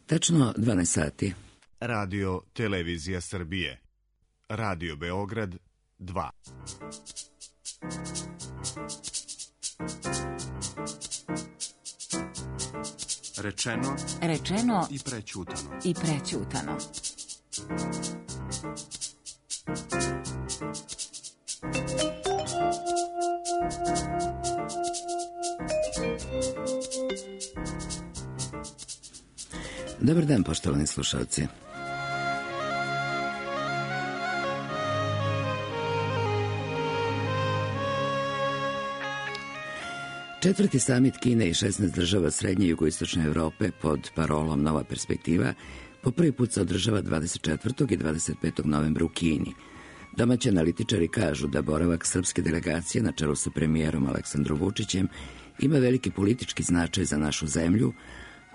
Tačno 12 sati. Radio Televizija Srbije. Radio Beograd 2. Rečeno i prećutano. Dobar dan, poštovani slušalci. Četvrti samit Kine i 16 država srednje i jugoistočne Evrope pod parolom Nova perspektiva po prvi put se održava 24. i 25. novembra u Kini. Domaći analitičari kažu da boravak srpske delegacije na čelu sa premijerom Aleksandrom Vučićem ima veliki politički značaj za našu zemlju,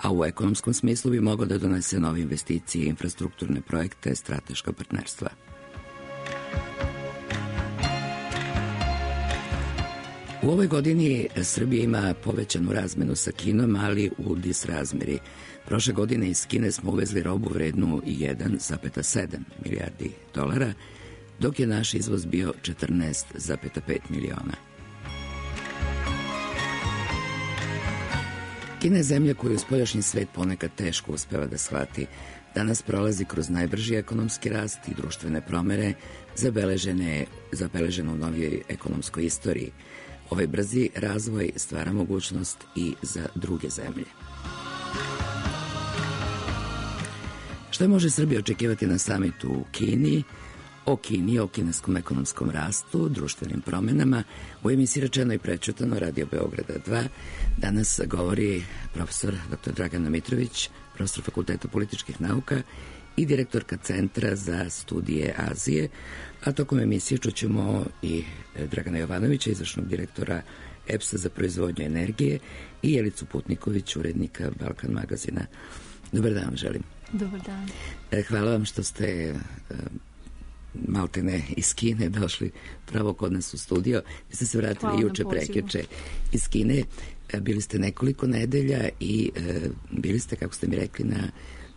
a u ekonomskom smislu bi mogao da donese nove investicije, infrastrukturne projekte, strateška partnerstva. U ovoj godini Srbija ima povećanu razmenu sa Kinom, ali u disrazmeri. Prošle godine iz Kine smo uvezli robu vrednu 1,7 milijardi dolara, dok je naš izvoz bio 14,5 miliona. Kina je zemlja koju spoljašnji svet ponekad teško uspeva da shvati. Danas prolazi kroz najbrži ekonomski rast i društvene promere zabeležene u novijoj ekonomskoj istoriji. Ovaj brzi razvoj stvara mogućnost i za druge zemlje. Šta može Srbija očekivati na samitu u Kini? O Kini, o kineskom ekonomskom rastu, društvenim promenama, u emisiji Rečeno i prećutano Radio Beograda 2 danas govori profesor dr. Dragana Mitrović, profesor Fakulteta političkih nauka i direktorka Centra za studije Azije, a tokom emisije čućemo i Dragana Jovanovića, izvršnog direktora EPS-a za proizvodnju energije, i Jelicu Putniković, urednika Balkan magazina. Dobar dan, želim. Dobar dan. Hvala vam što ste maltene iz Kine došli pravo kod nas u studio. Vi ste se vratili juče, prekjuče iz Kine. Bili ste nekoliko nedelja i bili ste, kako ste mi rekli, na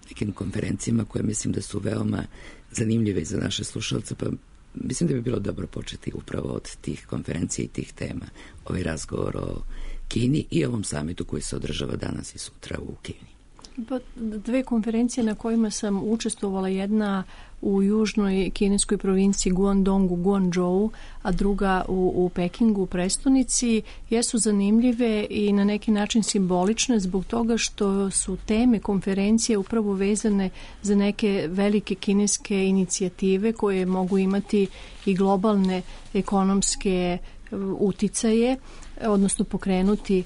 nekim konferencijama koje mislim da su veoma zanimljive za naše slušalce, pa mislim da bi bilo dobro početi upravo od tih konferencija i tih tema. Ovaj razgovor o Kini i ovom samitu koji se održava danas i sutra u Kini. Pa, dve konferencije na kojima sam učestvovala, jedna u južnoj kineskoj provinciji Guangdongu, Guangzhou, a druga u Pekingu, u prestonici, jesu zanimljive i na neki način simbolične zbog toga što su teme konferencije upravo vezane za neke velike kineske inicijative koje mogu imati i globalne ekonomske uticaje, odnosno pokrenuti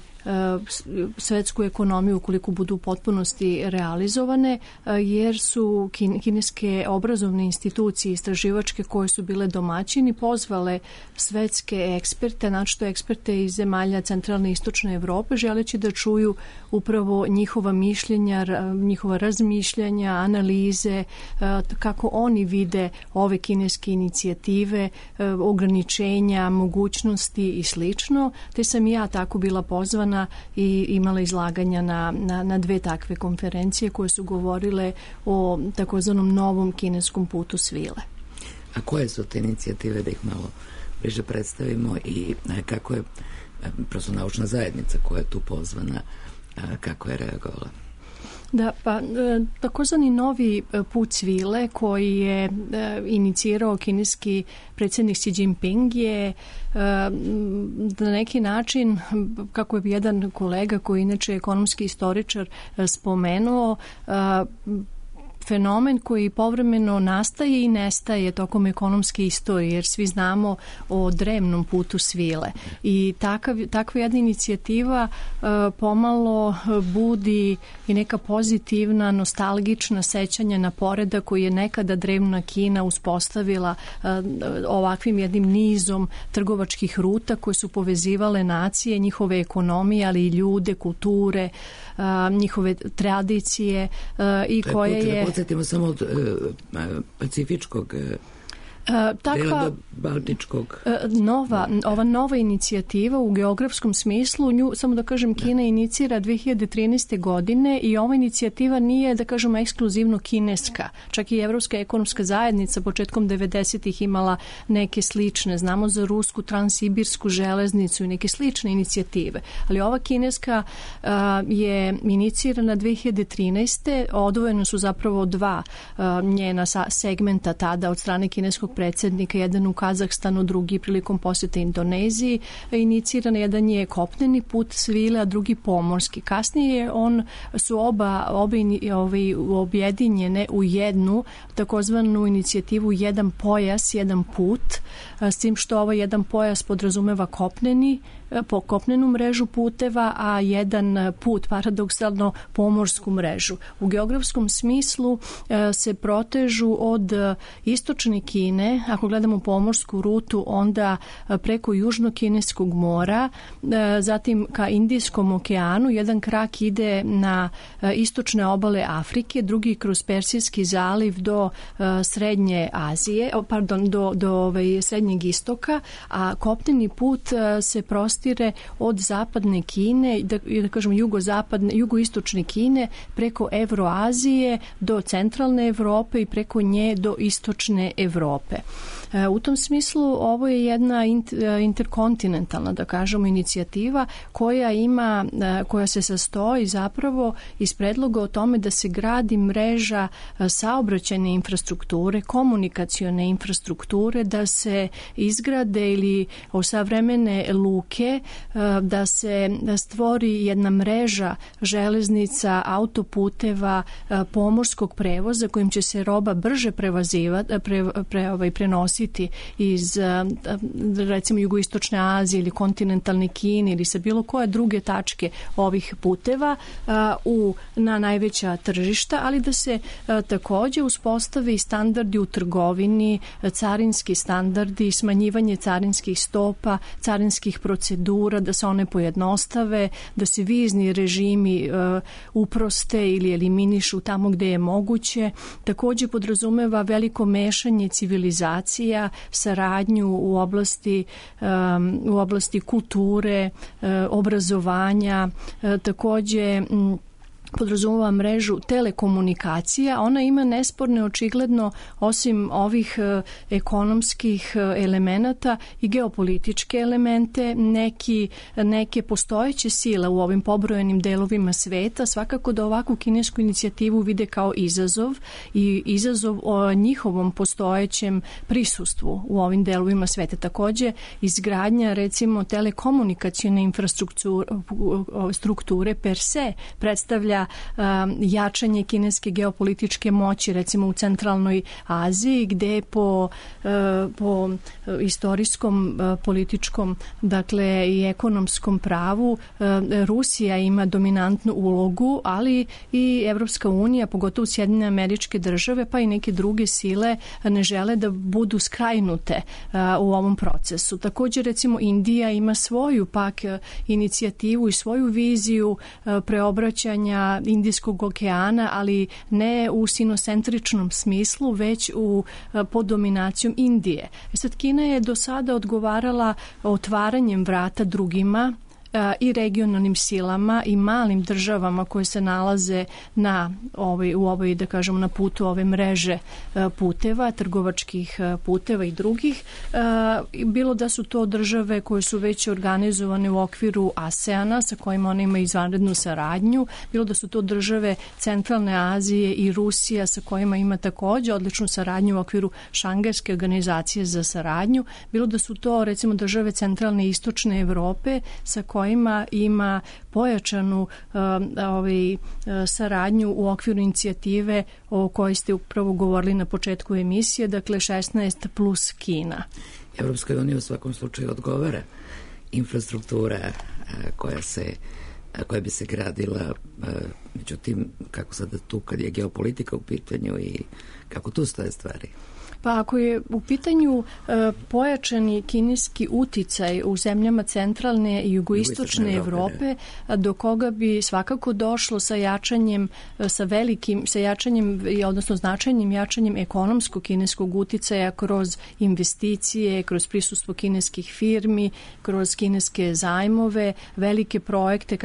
svetsku ekonomiju ukoliko budu u potpunosti realizovane, jer su kineske obrazovne institucije istraživačke koje su bile domaćini pozvale svetske eksperte, naročito eksperte iz zemalja centralne i istočne Evrope, želeći da čuju upravo njihova mišljenja, njihova razmišljanja, analize, kako oni vide ove kineske inicijative, ograničenja, mogućnosti i slično. Te sam i ja tako bila pozvana i imala izlaganja na dve takve konferencije koje su govorile o takozvanom novom kineskom putu svile. A koje su te inicijative, da ih malo bliže predstavimo, i kako je prosto naučna zajednica koja je tu pozvana, kako je reagovala? Da, pa takozvani novi put svile koji je inicirao kineski predsjednik Xi Jinping je na neki način, kako je jedan kolega koji inače je ekonomski istoričar spomenuo, fenomen koji povremeno nastaje i nestaje tokom ekonomske istorije, jer svi znamo o drevnom putu svile. I takva jedna inicijativa pomalo budi i neka pozitivna, nostalgična sećanja na poredak koji je nekada drevna Kina uspostavila ovakvim jednim nizom trgovačkih ruta koje su povezivale nacije, njihove ekonomije, ali i ljude, kulture, njihove tradicije i koje je... Podsjetimo samo od pacifičkog Dela do Baltičkog. Ova nova inicijativa u geografskom smislu, nju, samo da kažem, Kina inicira 2013. godine i ova inicijativa nije, da kažemo, ekskluzivno kineska. Čak i Evropska ekonomska zajednica početkom 90-ih imala neke slične. Znamo za rusku transsibirsku železnicu i neke slične inicijative. Ali ova kineska je inicirana 2013. Odvojeno su zapravo dva njena segmenta tada od strane kineskog predsjednika, jedan u Kazahstanu, drugi prilikom posjeta Indoneziji. Iniciran jedan je kopneni put svile, a drugi pomorski. Kasnije su obe objedinjene u jednu takozvanu inicijativu jedan pojas, jedan put, s tim što ovaj jedan pojas podrazumeva kopnenu mrežu puteva, a jedan put, paradoksalno, pomorsku mrežu. U geografskom smislu se protežu od istočne Kine, ako gledamo pomorsku rutu, onda preko Južno-Kineskog mora, zatim ka Indijskom okeanu, jedan krak ide na istočne obale Afrike, drugi kroz Persijski zaliv do Srednje Azije, do Srednjeg istoka, a kopneni put se prostire od zapadne Kine, da kažemo jugoistočne Kine, preko Evroazije do centralne Evrope i preko nje do istočne Evrope. U tom smislu ovo je jedna interkontinentalna, da kažemo, inicijativa koja se sastoji zapravo iz predloga o tome da se gradi mreža saobraćajne infrastrukture, komunikacione infrastrukture, da se izgrade ili osavremene luke, da se stvori jedna mreža železnica, autoputeva, pomorskog prevoza kojim će se roba brže prenositi iz recimo jugoistočne Azije ili kontinentalne Kine ili sa bilo koje druge tačke ovih puteva na najveća tržišta, ali da se takođe uspostave i standardi u trgovini, carinski standardi, smanjivanje carinskih stopa, carinskih procedura, da se one pojednostave, da se vizni režimi uproste ili eliminišu tamo gde je moguće. Takođe podrazumeva veliko mešanje civilizacija, saradnju u oblasti kulture, obrazovanja, takođe podrazumeva mrežu telekomunikacija. Ona ima nesporne, očigledno, osim ovih ekonomskih elemenata i geopolitičke elemente, neke postojeće sile u ovim pobrojenim delovima sveta. Svakako da ovakvu kinesku inicijativu vide kao izazov i izazov o njihovom postojećem prisustvu u ovim delovima sveta. Takođe, izgradnja, recimo, telekomunikacione infrastrukture per se predstavlja jačanje kineske geopolitičke moći, recimo u centralnoj Aziji, gde po istorijskom, političkom, dakle i ekonomskom pravu Rusija ima dominantnu ulogu, ali i Evropska unija, pogotovo Sjedinjene Američke Države, pa i neke druge sile ne žele da budu skrajnute u ovom procesu. Takođe, recimo, Indija ima svoju pak inicijativu i svoju viziju preobraćanja Indijskog okeana, ali ne u sinocentričnom smislu, već pod dominacijom Indije. Sad, Kina je do sada odgovarala otvaranjem vrata drugima i regionalnim silama i malim državama koje se nalaze u ovoj, da kažemo, na putu ove mreže puteva, trgovačkih puteva i drugih. Bilo da su to države koje su već organizovane u okviru ASEANA, sa kojima ona ima izvanrednu saradnju, bilo da su to države Centralne Azije i Rusija, sa kojima ima takođe odličnu saradnju u okviru Šangajske organizacije za saradnju, bilo da su to, recimo, države Centralne i Istočne Evrope, sa kojima ima pojačanu saradnju u okviru inicijative o kojoj ste upravo govorili na početku emisije, dakle 16 plus Kina. Evropskoj uniji u svakom slučaju odgovara infrastruktura koja bi se gradila, međutim, kako sada tu kad je geopolitika u pitanju i kako tu stoje stvari? Pa ako je u pitanju pojačani kineski uticaj u zemljama centralne i jugoistočne Evrope, do koga bi svakako došlo sa jačanjem, odnosno značajnim jačanjem ekonomskog kineskog uticaja kroz investicije, kroz prisustvo kineskih firmi, kroz kineske zajmove, velike projekte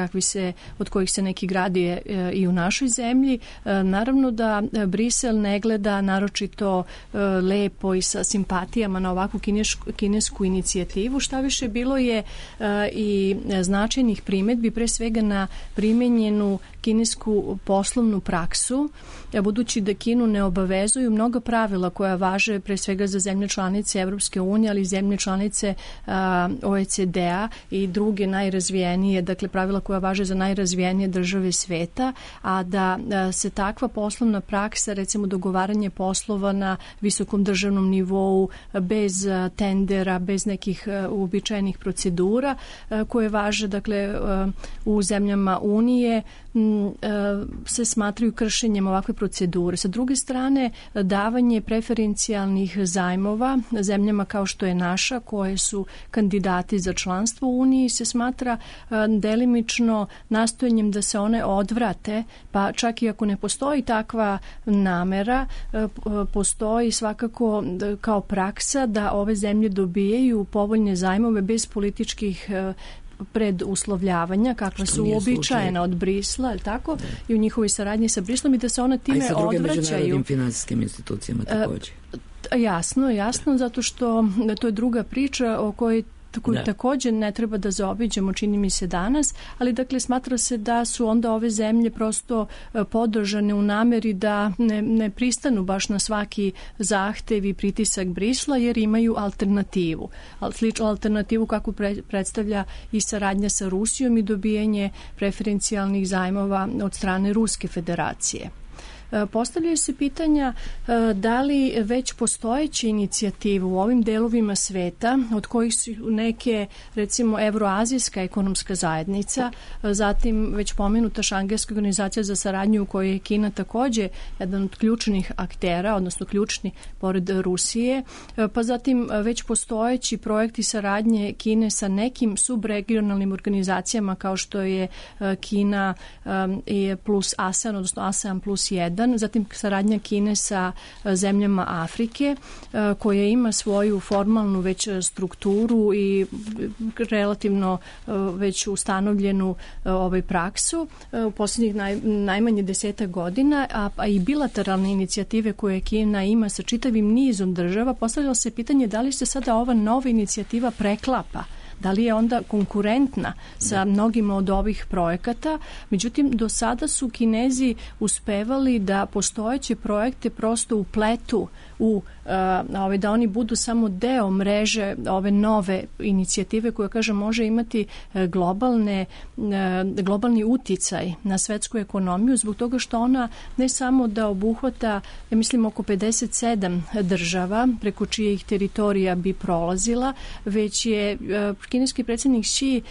od kojih se neki gradi i u našoj zemlji. Naravno da Brisel ne gleda naročito lepo i sa simpatijama na ovakvu kinesku inicijativu. Šta više, bilo je i značajnih primedbi, pre svega na primenjenu kinesku poslovnu praksu, budući da Kinu ne obavezuju mnoga pravila koja važe pre svega za zemlje članice Evropske unije, ali i zemlje članice OECD-a i druge najrazvijenije, dakle pravila koja važe za najrazvijenije države sveta, a da se takva poslovna praksa, recimo dogovaranje poslova na visokom državnom nivou, bez tendera, bez nekih uobičajenih procedura koje važe, dakle, u zemljama Unije, se smatraju kršenjem ovakve procedure. Sa druge strane, davanje preferencijalnih zajmova zemljama kao što je naša, koje su kandidati za članstvo u Uniji, se smatra delimično nastojanjem da se one odvrate, pa čak i ako ne postoji takva namera, postoji svakako kao praksa da ove zemlje dobijaju povoljne zajmove bez političkih preduslovljavanja, kakva su uobičajena od Brisla, ali tako, i u njihovoj saradnji sa Brislom, i da se one time odvraćaju. A i sa drugim međunarodnim finansijskim institucijama također. Jasno, zato što to je druga priča o kojoj također ne treba da zaobiđemo, čini mi se danas, ali dakle smatra se da su onda ove zemlje prosto podržane u nameri da ne pristanu baš na svaki zahtev i pritisak Brisla, jer imaju alternativu. Sličnu alternativu kako predstavlja i saradnja sa Rusijom i dobijanje preferencijalnih zajmova od strane Ruske federacije. Postavljaju se pitanja da li već postojeće inicijative u ovim delovima sveta, od kojih su neke, recimo, Evroazijska ekonomska zajednica, zatim već pomenuta Šangajska organizacija za saradnju u kojoj je Kina također jedan od ključnih aktera, odnosno ključni pored Rusije, pa zatim već postojeći projekti saradnje Kine sa nekim subregionalnim organizacijama kao što je Kina plus ASEAN, odnosno ASEAN plus 1, zatim saradnja Kine sa zemljama Afrike, koja ima svoju formalnu već strukturu i relativno već ustanovljenu praksu u posljednjih najmanje 10 godina, a i bilateralne inicijative koje Kina ima sa čitavim nizom država. Postavljalo se pitanje da li se sada ova nova inicijativa preklapa, da li je onda konkurentna sa mnogima od ovih projekata. Međutim, do sada su Kinezi uspevali da postojeće projekte prosto upletu da oni budu samo deo mreže ove nove inicijative koja, kažem, može imati globalni uticaj na svetsku ekonomiju, zbog toga što ona ne samo da obuhvata, ja mislim, oko 57 država preko čijih teritorija bi prolazila, već je kineski predsjednik Xi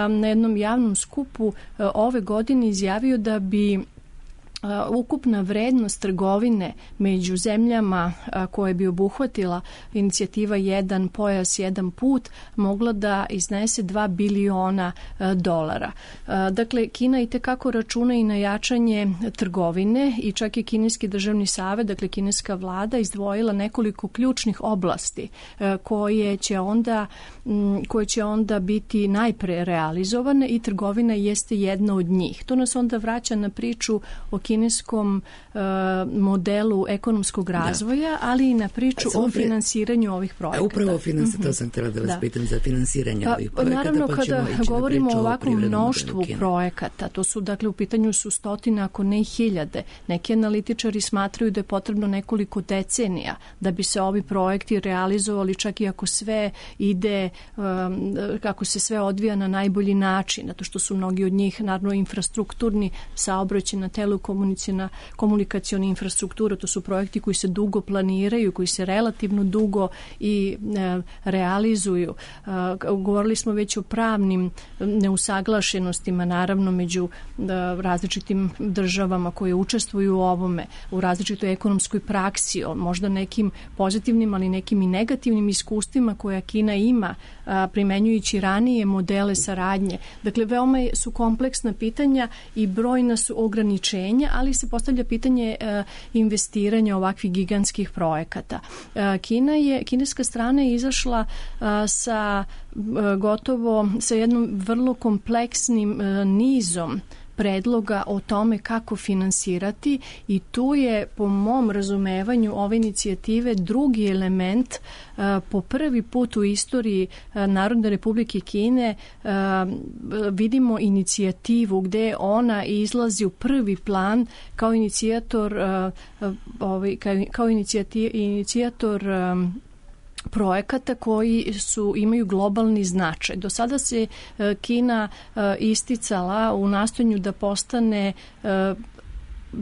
na jednom javnom skupu ove godine izjavio da bi ukupna vrednost trgovine među zemljama koje bi obuhvatila inicijativa Jedan pojas, jedan put mogla da iznese $2 biliona. Dakle, Kina itekako računa i na jačanje trgovine i čak i Kineski državni savet, dakle kineska vlada, izdvojila nekoliko ključnih oblasti koje će onda biti najpre realizovane i trgovina jeste jedna od njih. To nas onda vraća na priču o kineskom modelu ekonomskog razvoja, ali i na priču o finansiranju ovih projekata. Upravo to sam htjela da vas pitam za finansiranje ovih projekata. Naravno, kada govorimo o ovakvom mnoštvu projekata, to su, dakle, u pitanju su stotine, ako ne i hiljade. Neki analitičari smatraju da je potrebno nekoliko decenija da bi se ovi projekti realizovali, čak i ako sve ide, kako se sve odvija na najbolji način, zato što su mnogi od njih, naravno, infrastrukturni, saobraćajna, komunikaciona infrastruktura, to su projekti koji se dugo planiraju, koji se relativno dugo i realizuju. Govorili smo već o pravnim neusaglašenostima, naravno, među različitim državama koje učestvuju u ovome, u različitoj ekonomskoj praksi, možda nekim pozitivnim, ali nekim i negativnim iskustvima koja Kina ima, primenjujući ranije modele saradnje. Dakle, veoma su kompleksna pitanja i brojna su ograničenja, ali se postavlja pitanje investiranja ovakvih gigantskih projekata. Kineska strana je izašla sa jednom vrlo kompleksnim nizom predloga o tome kako finansirati i tu je, po mom razumevanju ove inicijative, drugi element. Po prvi put u istoriji Narodne Republike Kine vidimo inicijativu gde ona izlazi u prvi plan kao inicijator projekata koji imaju globalni značaj. Do sada se Kina isticala u nastojanju da postane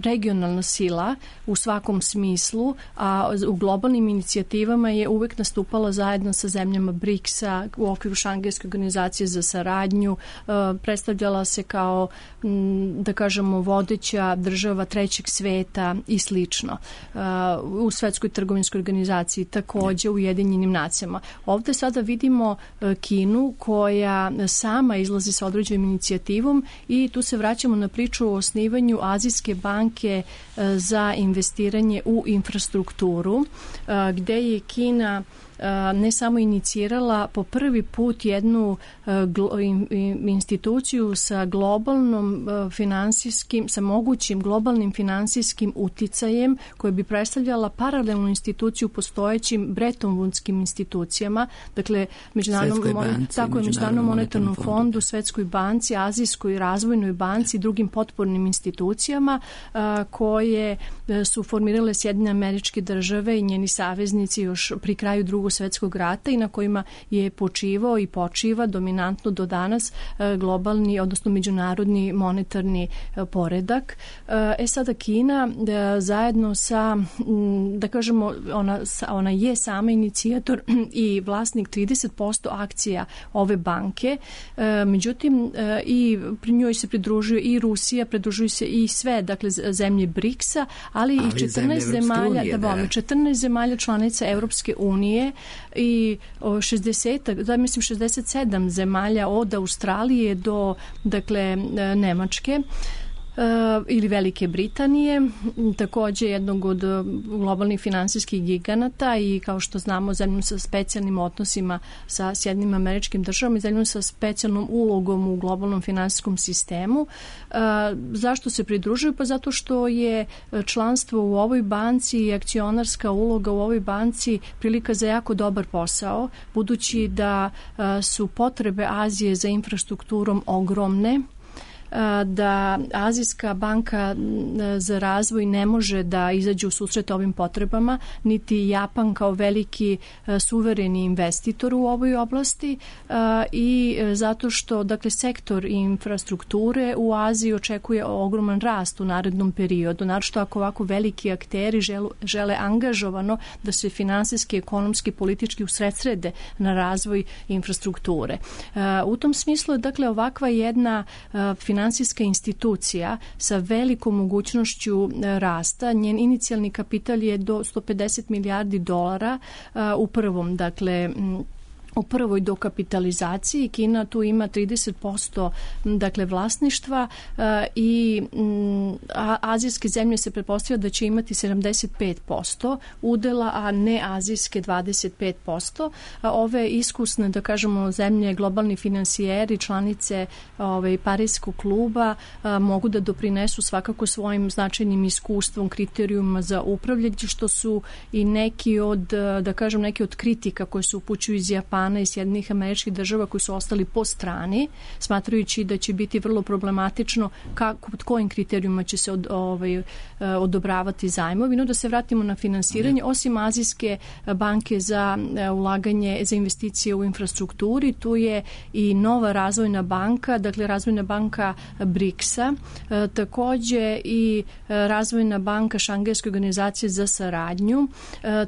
regionalna sila u svakom smislu, a u globalnim inicijativama je uvek nastupala zajedno sa zemljama BRICS-a u okviru Šangajske organizacije za saradnju, predstavljala se kao, da kažemo, vodeća država trećeg sveta i slično. U Svetskoj trgovinskoj organizaciji, takođe u Ujedinjenim nacijama. Ovde sada vidimo Kinu koja sama izlazi sa određenom inicijativom i tu se vraćamo na priču o osnivanju Azijske banke za investiranje u infrastrukturu, gde je Kina ne samo inicirala po prvi put jednu instituciju sa globalnom finansijskim, sa mogućim globalnim finansijskim uticajem koja bi predstavljala paralelnu instituciju postojećim Bretton Woodskim institucijama, dakle Međunarodnom monetarnom fondu, Svetskoj banci, Azijskoj razvojnoj banci i drugim potpornim institucijama koje su formirale Sjedinjene Američke Države i njeni saveznici još pri kraju Drugog svjetskog rata i na kojima je počivao i počiva dominantno do danas globalni, odnosno međunarodni monetarni poredak. Sada Kina zajedno sa, da kažemo, ona je sama inicijator i vlasnik 30% akcija ove banke, međutim i pri njoj se pridružuje i Rusija, pridružuju se i sve, dakle, zemlje BRICS-a, ali i 14 zemalja, 14 zemalja članica Evropske unije i 67 zemalja od Australije do, dakle, Nemačke ili Velike Britanije, takođe jednog od globalnih finansijskih giganata i, kao što znamo, zemljom sa specijalnim odnosima sa Sjedinjenim Američkim Državama i zemljom sa specijalnom ulogom u globalnom finansijskom sistemu. Zašto se pridružuju? Pa zato što je članstvo u ovoj banci i akcionarska uloga u ovoj banci prilika za jako dobar posao, budući da su potrebe Azije za infrastrukturom ogromne, da Azijska banka za razvoj ne može da izađe u susret ovim potrebama, niti Japan kao veliki suvereni investitor u ovoj oblasti i zato što, dakle, sektor infrastrukture u Aziji očekuje ogroman rast u narednom periodu, naročito ako ovako veliki akteri žele angažovano da se finansijski, ekonomski, politički usredsrede na razvoj infrastrukture. U tom smislu je, dakle, ovakva jedna finansijska institucija sa velikom mogućnošću rasta. Njen inicijalni kapital je do $150 milijardi u prvom, dakle, u prvoj dokapitalizaciji. Kina tu ima 30% dakle vlasništva i azijske zemlje se pretpostavlja da će imati 75% udela, a ne azijske 25%. Ove iskusne, da kažemo, zemlje, globalni finansijeri, članice Pariskog kluba mogu da doprinesu svakako svojim značajnim iskustvom, kriterijuma za upravljanje, što su i neki od, da kažem, neki od kritika koje se upućuju iz Japana Japana i Sjedinjenih Američkih Država koji su ostali po strani, smatrajući da će biti vrlo problematično pod kojim kriterijuma će se odobravati zajmovi. No da se vratimo na finansiranje, osim Azijske banke za ulaganje, za investicije u infrastrukturi, tu je i nova razvojna banka, dakle razvojna banka BRICS-a, takođe i razvojna banka Šangajske organizacije za saradnju,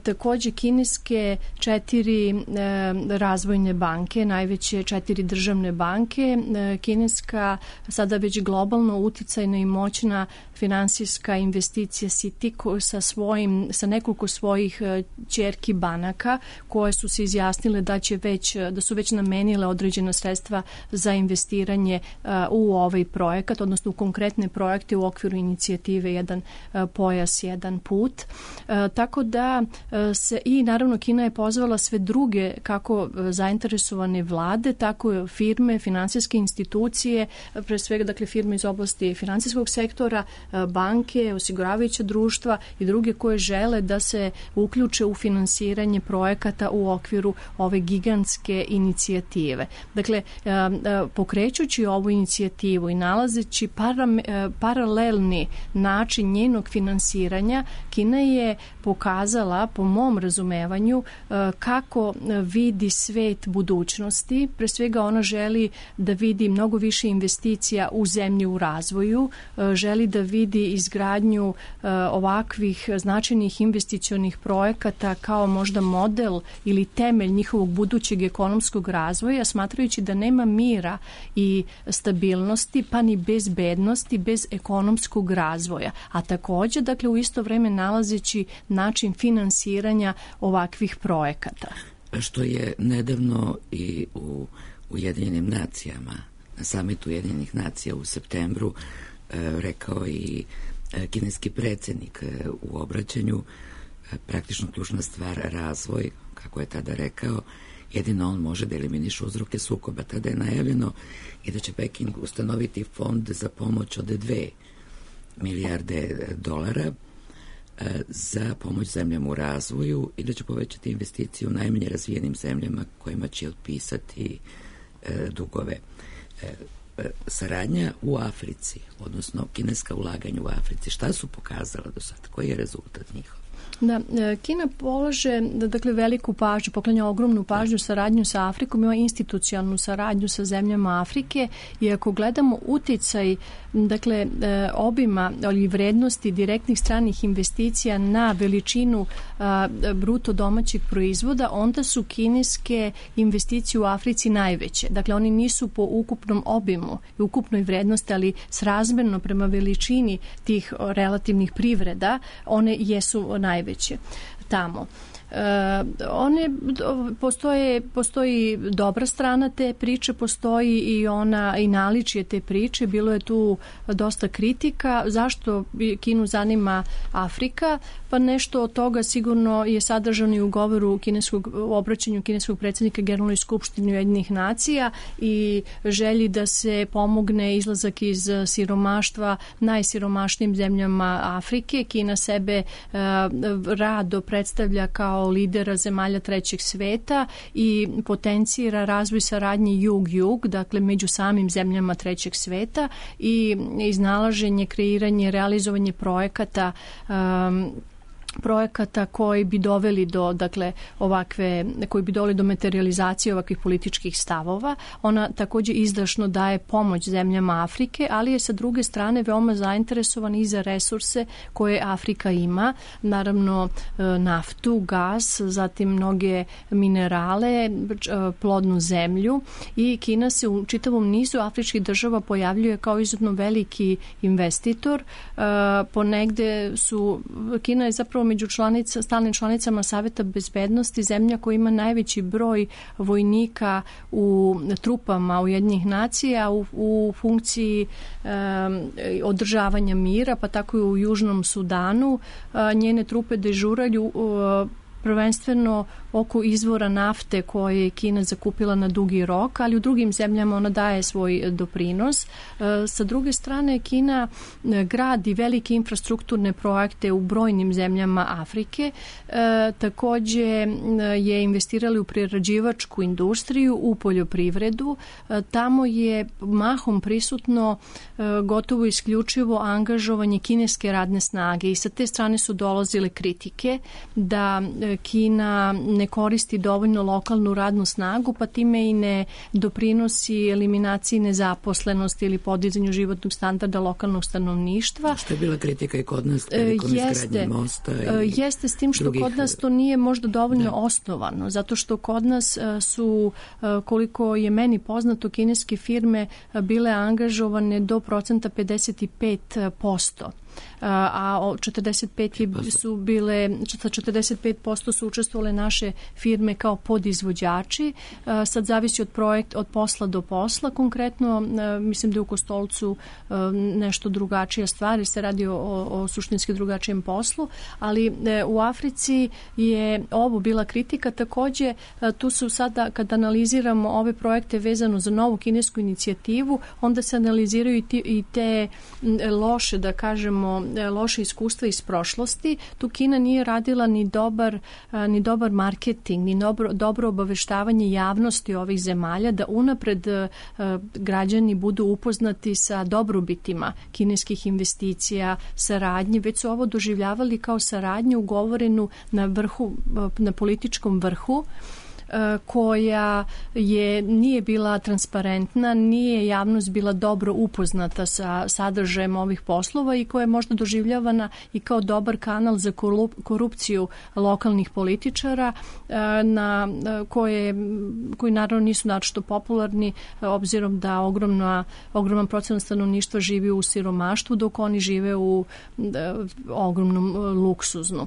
takođe kineske 4 razvojne banke, najveće 4 državne banke, kineska sada već globalno uticajna i moćna finansijska investicija Citi sa nekoliko svojih ćerki banaka koje su se izjasnile da su već namenile određena sredstva za investiranje u ovaj projekat, odnosno u konkretne projekte u okviru inicijative Jedan pojas, jedan put. Tako da i naravno Kina je pozvala sve druge kako zainteresovane vlade, tako firme, finansijske institucije, pre svega dakle firme iz oblasti finansijskog sektora, banke, osiguravajuća društva i druge koje žele da se uključe u finansiranje projekata u okviru ove gigantske inicijative. Dakle, pokrećući ovu inicijativu i nalazeći paralelni način njenog finansiranja, Kina je pokazala, po mom razumevanju, kako vidi svet budućnosti. Pre svega ona želi da vidi mnogo više investicija u zemlji u razvoju, želi da vidi izgradnju ovakvih značajnih investicionih projekata kao možda model ili temelj njihovog budućeg ekonomskog razvoja, smatrajući da nema mira i stabilnosti, pa ni bezbednosti bez ekonomskog razvoja. A takođe, dakle, u isto vreme nalazeći način finansiranja ovakvih projekata. Što je nedavno i u Ujedinjenim nacijama, na samitu Ujedinjenih nacija u septembru, rekao i kineski predsjednik u obraćanju, praktično ključna stvar razvoj, kako je tada rekao, jedino on može da eliminiše uzroke sukoba. Tada je najavljeno i da će Peking ustanoviti fond za pomoć od 2 milijarde dolara za pomoć zemljama u razvoju i da će povećati investicije u najmanje razvijenim zemljama kojima će otpisati dugove. Saradnja u Africi, odnosno kineska ulaganja u Africi, šta su pokazala do sada? Koji je rezultat njihov? Da, Kina polaže, dakle, veliku pažnju, poklanja ogromnu pažnju saradnju sa Afrikom, ima institucionalnu saradnju sa zemljama Afrike i ako gledamo uticaj, dakle, obima ili vrednosti direktnih stranih investicija na veličinu bruto domaćeg proizvoda, onda su kineske investicije u Africi najveće. Dakle, oni nisu po ukupnom obimu i ukupnoj vrednosti, ali srazmerno prema veličini tih relativnih privreda, one jesu najveće tamo. Postoji dobra strana te priče, postoji i naličje te priče. Bilo je tu dosta kritika. Zašto Kinu zanima Afrika? Pa nešto od toga sigurno je sadržano i u govoru u obraćanju kineskog predsjednika Generalnoj skupštini Ujedinjenih nacija i želji da se pomogne izlazak iz siromaštva najsiromašnijim zemljama Afrike. Kina sebe rado predstavlja kao lidera zemalja trećeg sveta i potencira razvoj saradnje jug-jug, dakle među samim zemljama trećeg sveta i iznalaženje, kreiranje, realizovanje projekata koji bi doveli do, dakle, koji bi doveli do materializacije ovakvih političkih stavova. Ona takođe izdašno daje pomoć zemljama Afrike, ali je sa druge strane veoma zainteresovan i za resurse koje Afrika ima. Naravno, naftu, gas, zatim mnoge minerale, plodnu zemlju i Kina se u čitavom nizu afričkih država pojavljuje kao izuzetno veliki investitor. Ponegde Kina je zapravo među stalnim članicama Saveta bezbednosti zemlja koja ima najveći broj vojnika u trupama Ujedinjenih nacija u funkciji održavanja mira, pa tako i u Južnom Sudanu. Njene trupe dežuraju prvenstveno oko izvora nafte koje je Kina zakupila na dugi rok, ali u drugim zemljama ona daje svoj doprinos. Sa druge strane, Kina gradi velike infrastrukturne projekte u brojnim zemljama Afrike. Takođe je investirali u prerađivačku industriju, u poljoprivredu. Tamo je mahom prisutno gotovo isključivo angažovanje kineske radne snage i sa te strane su dolazile kritike da Kina ne koristi dovoljno lokalnu radnu snagu, pa time i ne doprinosi eliminaciji nezaposlenosti ili podizanju životnog standarda lokalnog stanovništva. Što je bila kritika i kod nas prilikom izgradnje mosta? Jeste, s tim što kod nas to nije možda dovoljno osnovano, zato što kod nas su, koliko je meni poznato, kineske firme bile angažovane do procenta 55%. A 45% su učestvovale naše firme kao podizvođači. Sad zavisi od posla do posla. Konkretno, mislim da je u Kostolcu nešto drugačija stvar, jer se radi o suštinski drugačijem poslu, ali u Africi je ovo bila kritika. Takođe, tu su sada, kad analiziramo ove projekte vezano za novu kinesku inicijativu, onda se analiziraju i te loše, da kažemo, loše iskustva iz prošlosti. Tu Kina nije radila ni dobar marketing, ni dobro obaveštavanje javnosti ovih zemalja, da unapred građani budu upoznati sa dobrobitima kineskih investicija, saradnje. Već su ovo doživljavali kao saradnju ugovorenu na političkom vrhu, koja nije bila transparentna, nije javnost bila dobro upoznata sa sadržajem ovih poslova i koja je možda doživljavana i kao dobar kanal za korupciju lokalnih političara, koji naravno nisu naročito popularni, obzirom da ogroman procenat stanovništva živi u siromaštvu, dok oni žive u ogromnom luksuznu.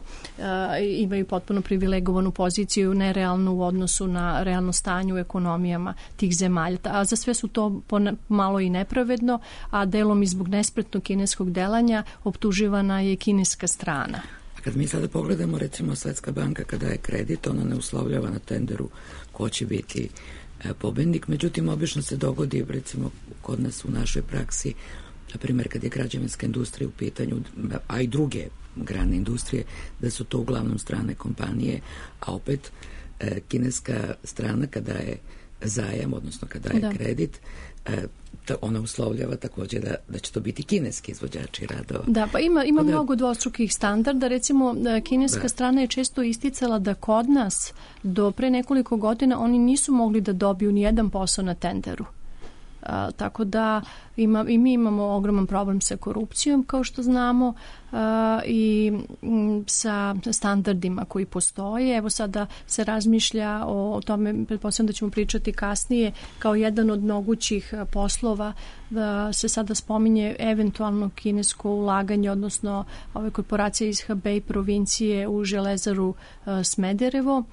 Imaju potpuno privilegovanu poziciju, nerealnu u odnosu na realno stanje u ekonomijama tih zemalja. A za sve su to malo i nepravedno, a delom i zbog nespretnog kineskog delanja optuživana je kineska strana. A kad mi sada pogledamo, recimo, Svetska banka kada je kredit, ona ne uslovljava na tenderu ko će biti pobednik, međutim, obično se dogodi, recimo, kod nas u našoj praksi, na primjer, kad je građevinska industrija u pitanju, a i druge grane industrije, da su to uglavnom strane kompanije, a opet kineska strana kada je zajam, odnosno kada je kredit, ona uslovljava također da će to biti kineski izvođači radova. Da, pa ima mnogo dvostrukih standarda. Recimo, kineska strana je često isticala da kod nas do pre nekoliko godina oni nisu mogli da dobiju ni jedan posao na tenderu. Tako da i mi imamo ogroman problem sa korupcijom, kao što znamo, i sa standardima koji postoje. Evo sada se razmišlja o tome, pretpostavljam da ćemo pričati kasnije, kao jedan od mogućih poslova da se sada spominje eventualno kinesko ulaganje, odnosno ove korporacije iz Hebei provincije u železaru Smederevo,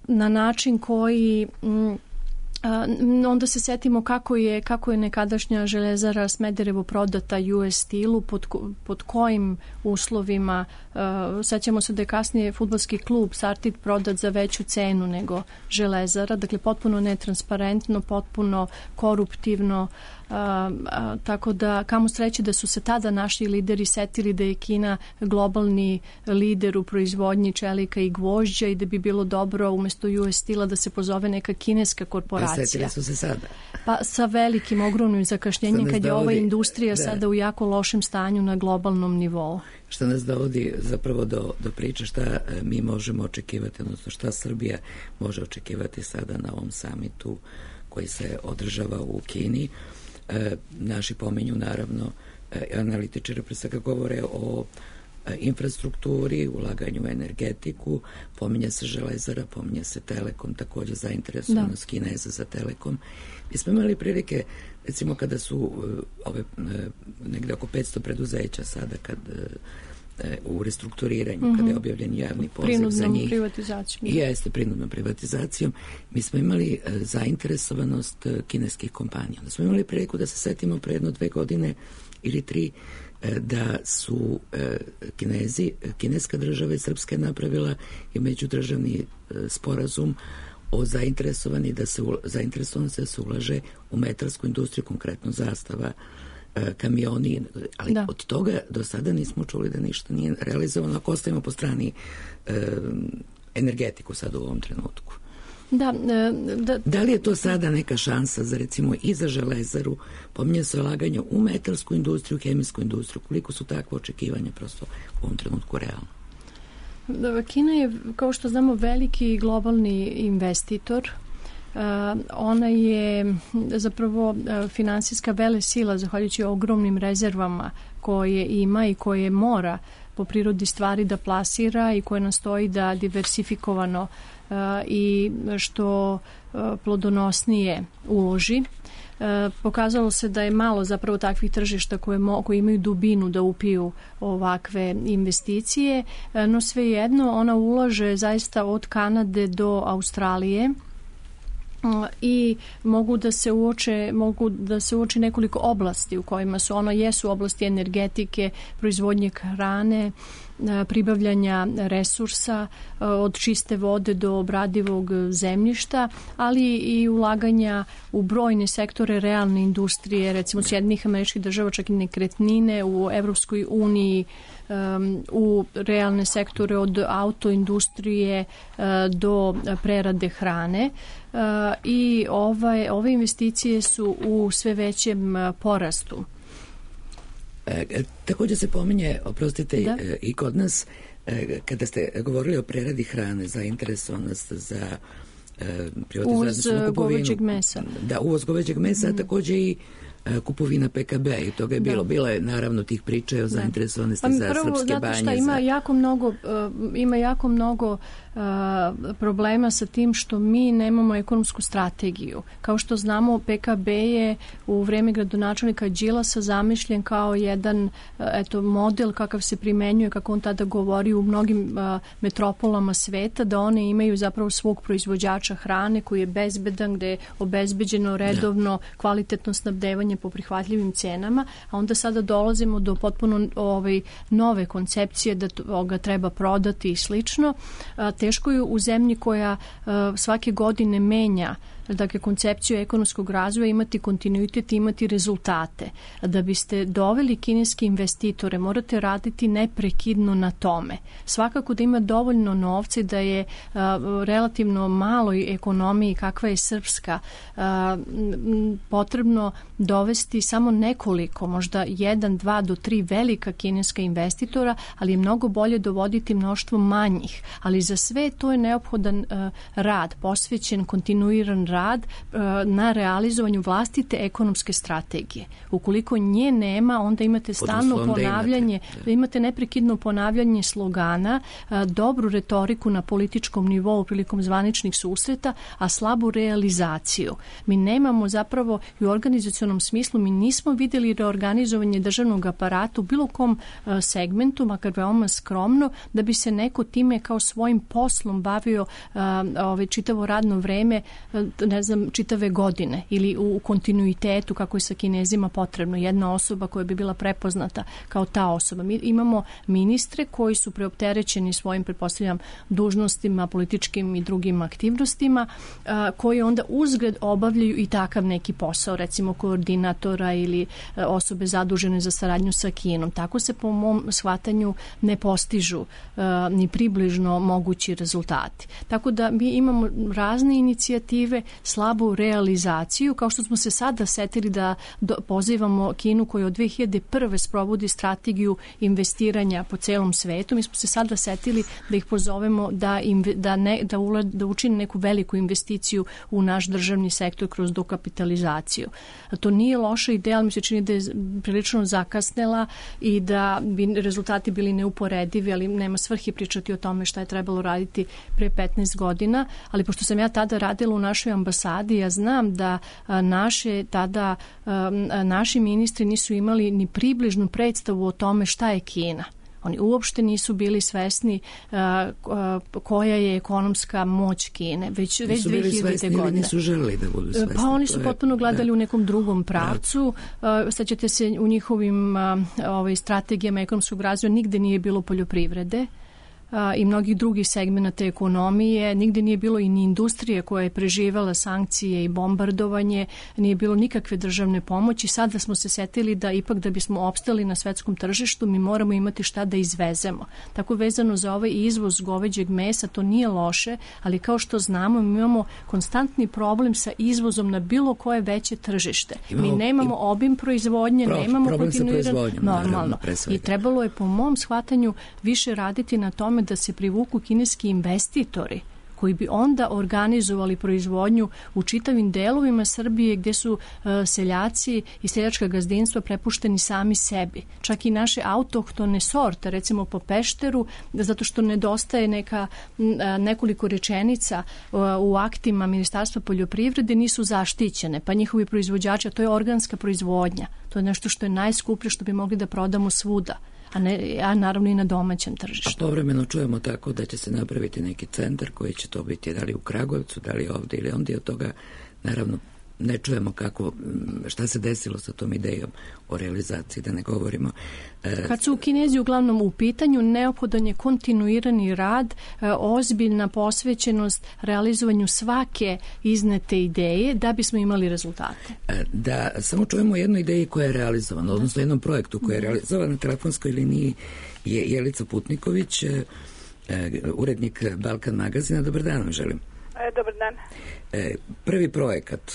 na način koji onda se setimo kako je nekadašnja železara Smederevo prodata US Steelu, pod kojim uslovima. Sećamo se da je kasnije fudbalski klub Sartid prodat za veću cenu nego železara, dakle potpuno netransparentno, potpuno koruptivno, tako da kamo sreće da su se tada naši lideri setili da je Kina globalni lider u proizvodnji čelika i gvožđa i da bi bilo dobro umesto US Steela da se pozove neka kineska korporacija. Setili su se sada? Pa sa velikim, ogromnim zakašnjenjem kad je ova industrija sada u jako lošem stanju na globalnom nivou. Što nas dovodi zapravo do priče šta mi možemo očekivati, odnosno šta Srbija može očekivati sada na ovom samitu koji se održava u Kini. Naši pominju naravno analitičari pre svega govore o infrastrukturi, ulaganju u energetiku, pominje se železara, pominje se Telekom, također zainteresovanost Kineza za Telekom. Mi smo imali prilike, recimo kada su negde oko 500 preduzeća sada u restrukturiranju, kada je objavljen javni poziv za njih. Privatizacijom. Jeste, prinudnom privatizacijom. Mi smo imali zainteresovanost kineskih kompanija. Onda smo imali priliku da se setimo pre 1-2 godine ili 3 da su kineska država i Srpska je napravila i međudržavni sporazum o zainteresovanosti da se ulaže u metarsku industriju, konkretno Zastava, kamioni, ali od toga do sada nismo čuli da ništa nije realizovano, ako ostavimo po strani energetiku sad u ovom trenutku. Da li je to sada neka šansa za recimo i za Železaru, pominje se ulaganje u metarsku industriju, hemijsku industriju, koliko su takve očekivanja prosto u ovom trenutku realno? Kina je, kao što znamo, veliki globalni investitor. Ona je zapravo finansijska velesila zahvaljujući ogromnim rezervama koje ima i koje mora po prirodi stvari da plasira i koje nastoji da diversifikovano i što plodonosnije uloži. Pokazalo se da je malo zapravo takvih tržišta koje imaju dubinu da upiju ovakve investicije, no svejedno ona ulaže zaista od Kanade do Australije i mogu da se uoči nekoliko oblasti u kojima su jesu oblasti energetike, proizvodnje hrane, pribavljanja resursa od čiste vode do obradivog zemljišta, ali i ulaganja u brojne sektore realne industrije, recimo Sjedinjenih Američkih Država, čak i nekretnine, u Evropskoj uniji, u realne sektore od autoindustrije do prerade hrane i ove investicije su u sve većem porastu. Također se pominje, oprostite, i kod nas, kada ste govorili o preradi hrane, zainteresovanost za privatizaciju, uvoz goveđeg mesa. Da, uvoz goveđeg mesa, a također i kupovina PKB i toga je bilo je naravno tih priča o zainteresovanosti za srpske banje. Što ima jako mnogo problema sa tim što mi nemamo ekonomsku strategiju. Kao što znamo, PKB je u vreme gradonačelnika Đilasa zamišljen kao jedan model kakav se primenjuje, kako on tada govori, u mnogim metropolama sveta, da one imaju zapravo svog proizvođača hrane koji je bezbedan, gde je obezbeđeno redovno kvalitetno snabdevanje po prihvatljivim cenama, a onda sada dolazimo do potpuno nove koncepcije da ga treba prodati i slično. Teško je u zemlji koja svake godine menja koncepciju ekonomskog razvoja imati kontinuitet i imati rezultate. Da biste doveli kineske investitore, morate raditi neprekidno na tome. Svakako da ima dovoljno novca, da je relativno maloj ekonomiji kakva je srpska potrebno dovesti samo nekoliko, možda 1, 2 do 3 velika kineska investitora, ali je mnogo bolje dovoditi mnoštvo manjih. Ali za sve to je neophodan rad, posvećen, kontinuiran rad na realizovanju vlastite ekonomske strategije. Ukoliko nje nema, onda imate stalno ponavljanje, imate neprekidno ponavljanje slogana, dobru retoriku na političkom nivou prilikom zvaničnih susreta, a slabu realizaciju. Mi nemamo zapravo i u organizacionom smislu, mi nismo vidjeli reorganizovanje državnog aparata u bilo kom segmentu, makar veoma skromno, da bi se neko time kao svojim poslom bavio čitavo radno vreme, čitave godine ili u kontinuitetu kako je sa Kinezima potrebno. Jedna osoba koja bi bila prepoznata kao ta osoba. Mi imamo ministre koji su preopterećeni svojim, pretpostavljam, dužnostima, političkim i drugim aktivnostima, koji onda uzgred obavljaju i takav neki posao, recimo koordinatora ili osobe zadužene za saradnju sa Kinom. Tako se po mom shvatanju ne postižu ni približno mogući rezultati. Tako da mi imamo razne inicijative, slabu realizaciju, kao što smo se sada setili da pozivamo Kinu koja od 2001. sprovodi strategiju investiranja po celom svetu. Mi smo se sada setili da ih pozovemo da učine neku veliku investiciju u naš državni sektor kroz dokapitalizaciju. To nije loša ideja, ali mi se čini da je prilično zakasnela i da bi rezultati bili neuporedivi, ali nema svrhe pričati o tome šta je trebalo raditi pre 15 godina, ali pošto sam ja tada radila u našoj ambasadi, ja znam da naši ministri nisu imali ni približnu predstavu o tome šta je Kina. Oni uopšte nisu bili svesni koja je ekonomska moć Kine. Već 2000. godine. Nisu želeli da budu svesni. Pa oni su potpuno gledali u nekom drugom pravcu. Sećate se, u njihovim strategijama ekonomskog razvoja nigde nije bilo poljoprivrede i mnogih drugih segmenata ekonomije. Nigde nije bilo i ni industrije koja je preživala sankcije i bombardovanje, nije bilo nikakve državne pomoći. Sada smo se setili da ipak da bismo opstali na svetskom tržištu mi moramo imati šta da izvezemo. Tako vezano za ovaj izvoz goveđeg mesa, to nije loše, ali kao što znamo mi imamo konstantni problem sa izvozom na bilo koje veće tržište. Mi nemamo obim proizvodnje, nemamo kontinuirano normalno. I trebalo je po mom shvatanju više raditi na tome da se privuku kineski investitori koji bi onda organizovali proizvodnju u čitavim delovima Srbije gdje su seljaci i seljačka gazdinstva prepušteni sami sebi. Čak i naše autohtone sorte, recimo po Pešteru, zato što nedostaje nekoliko rečenica u aktima Ministarstva poljoprivrede, nisu zaštićene, pa njihovi proizvođači, a to je organska proizvodnja. To je nešto što je najskuplje, što bi mogli da prodamo svuda, a naravno i na domaćem tržištu. A povremeno čujemo tako da će se napraviti neki centar koji će to biti da li u Kragujevcu, da li ovdje ili ondje. Od toga naravno ne čujemo šta se desilo sa tom idejom o realizaciji, da ne govorimo. Kad su Kinezi uglavnom u pitanju, neophodan je kontinuirani rad, ozbiljna posvećenost realizovanju svake iznete ideje da bismo imali rezultate. Da, samo čujemo jednu ideju koja je realizovana, odnosno jednom projektu koja je realizovan na telefonskoj liniji je Jelica Putniković, urednik Balkan magazina. Dobar dan vam želim. Dobar dan. Prvi projekat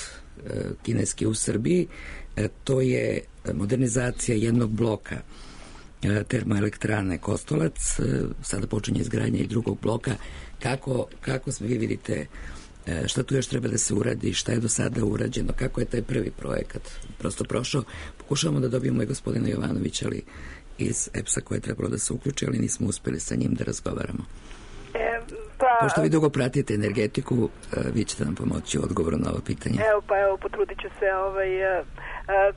kineski u Srbiji, to je modernizacija jednog bloka termoelektrane Kostolac. Sada počinje izgradnja i drugog bloka. Kako vi vidite šta tu još treba da se uradi, šta je do sada urađeno, kako je taj prvi projekat prosto prošao? Pokušavamo da dobijemo i gospodina Jovanovića iz EPS-a koje je trebalo da se uključi, ali nismo uspeli sa njim da razgovaramo. Pošto vi dugo pratite energetiku, vi ćete nam pomoći u odgovoru na ovo pitanje. Evo, potrudit ću se.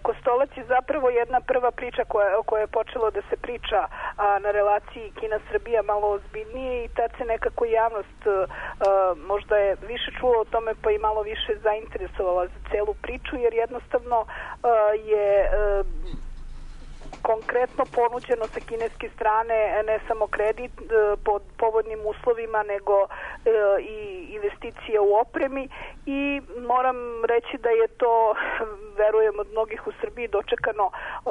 Kostolac je zapravo jedna prva priča koja je počelo da se priča na relaciji Kina-Srbija malo ozbiljnije i tad se nekako javnost možda je više čulo o tome pa i malo više zainteresovala za celu priču, jer jednostavno je konkretno ponuđeno sa kineske strane ne samo kredit pod povoljnim uslovima, nego i investicije u opremi i moram reći da je to, verujem, od mnogih u Srbiji dočekano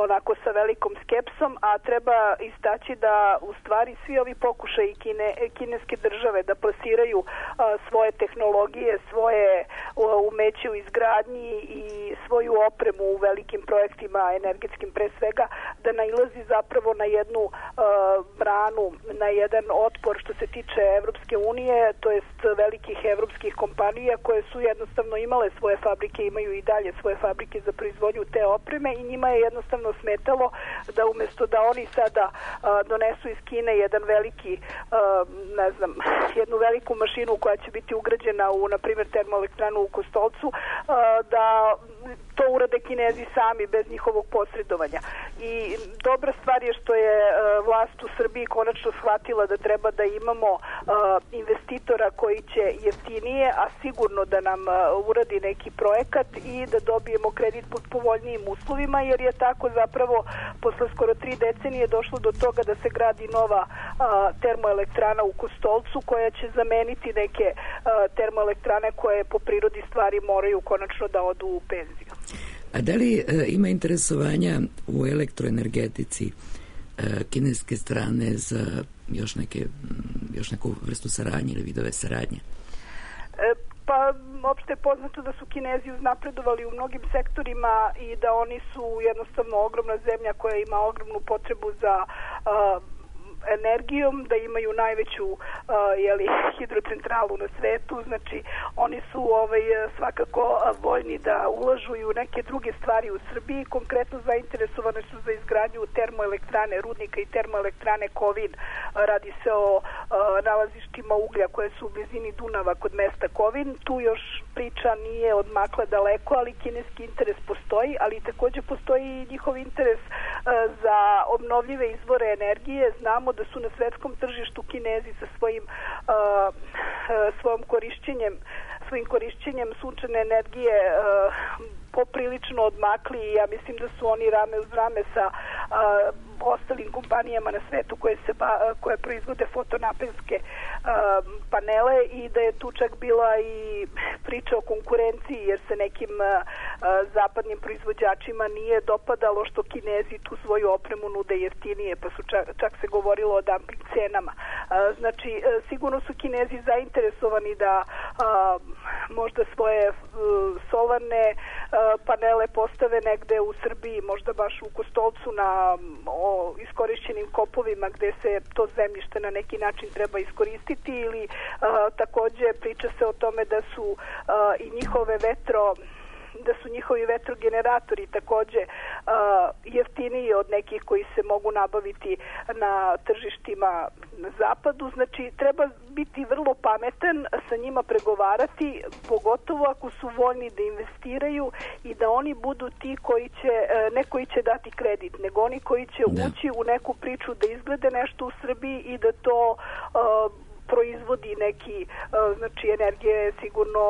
onako sa velikom skepsom, a treba istaći da u stvari svi ovi pokušaji kineske države da plasiraju svoje tehnologije, svoje umeće u izgradnji i svoju opremu u velikim projektima energetskim pre svega, da nailazi zapravo na jednu branu, na jedan otpor što se tiče Evropske unije, to jest velikih evropskih kompanija koje su jednostavno imale svoje fabrike, imaju i dalje svoje fabrike za proizvodnju te opreme i njima je jednostavno smetalo da umjesto da oni sada donesu iz Kine jedan veliki, jednu veliku mašinu koja će biti ugrađena u, na primjer, termoelektranu u Kostolcu, da to urade Kinezi sami bez njihovog posredovanja. I dobra stvar je što je vlast u Srbiji konačno shvatila da treba da imamo investitora koji će jeftinije, a sigurno da nam uradi neki projekat i da dobijemo kredit pod povoljnijim uslovima, jer je tako zapravo posle skoro 3 decenije došlo do toga da se gradi nova termoelektrana u Kostolcu koja će zameniti neke termoelektrane koje po prirodi stvari moraju konačno da odu u penziju. A da li ima interesovanja u elektroenergetici kineske strane za još neku vrstu saradnje ili vidove saradnje? Pa, opšte je poznato da su Kinezi uznapredovali u mnogim sektorima i da oni su jednostavno ogromna zemlja koja ima ogromnu potrebu za energijom, da imaju najveću hidrocentralu na svetu, znači oni su svakako voljni da ulažu i u neke druge stvari u Srbiji, konkretno zainteresovane su za izgradnju termoelektrane Rudnika i termoelektrane Kovin. Radi se o nalazištima uglja koje su u blizini Dunava kod mesta Kovin. Tu još priča nije odmakla daleko, ali kineski interes postoji, ali takođe postoji i njihov interes za obnovljive izvore energije. Znamo da su na svetskom tržištu Kinezi sa svojim korišćenjem sunčane energije poprilično odmakli i ja mislim da su oni rame uz rame sa ostalim kompanijama na svetu koje proizvode fotonaponske panele i da je tu čak bila i priča o konkurenciji jer se nekim zapadnim proizvođačima nije dopadalo što Kinezi tu svoju opremu nude jeftinije, pa su čak se govorilo o dumping cenama. Znači, sigurno su Kinezi zainteresovani da možda svoje solarne panele postave negde u Srbiji, možda baš u Kostolcu na iskorišćenim kopovima gde se to zemljište na neki način treba iskoristiti ili takođe priča se o tome da su i njihovi vetrogeneratori takođe jeftiniji od nekih koji se mogu nabaviti na tržištima na zapadu. Znači, treba biti vrlo pametan, sa njima pregovarati, pogotovo ako su voljni da investiraju i da oni budu ti koji će, ne koji će dati kredit, nego oni koji će ući u neku priču da izglede nešto u Srbiji i da to proizvodi neki, znači energija je sigurno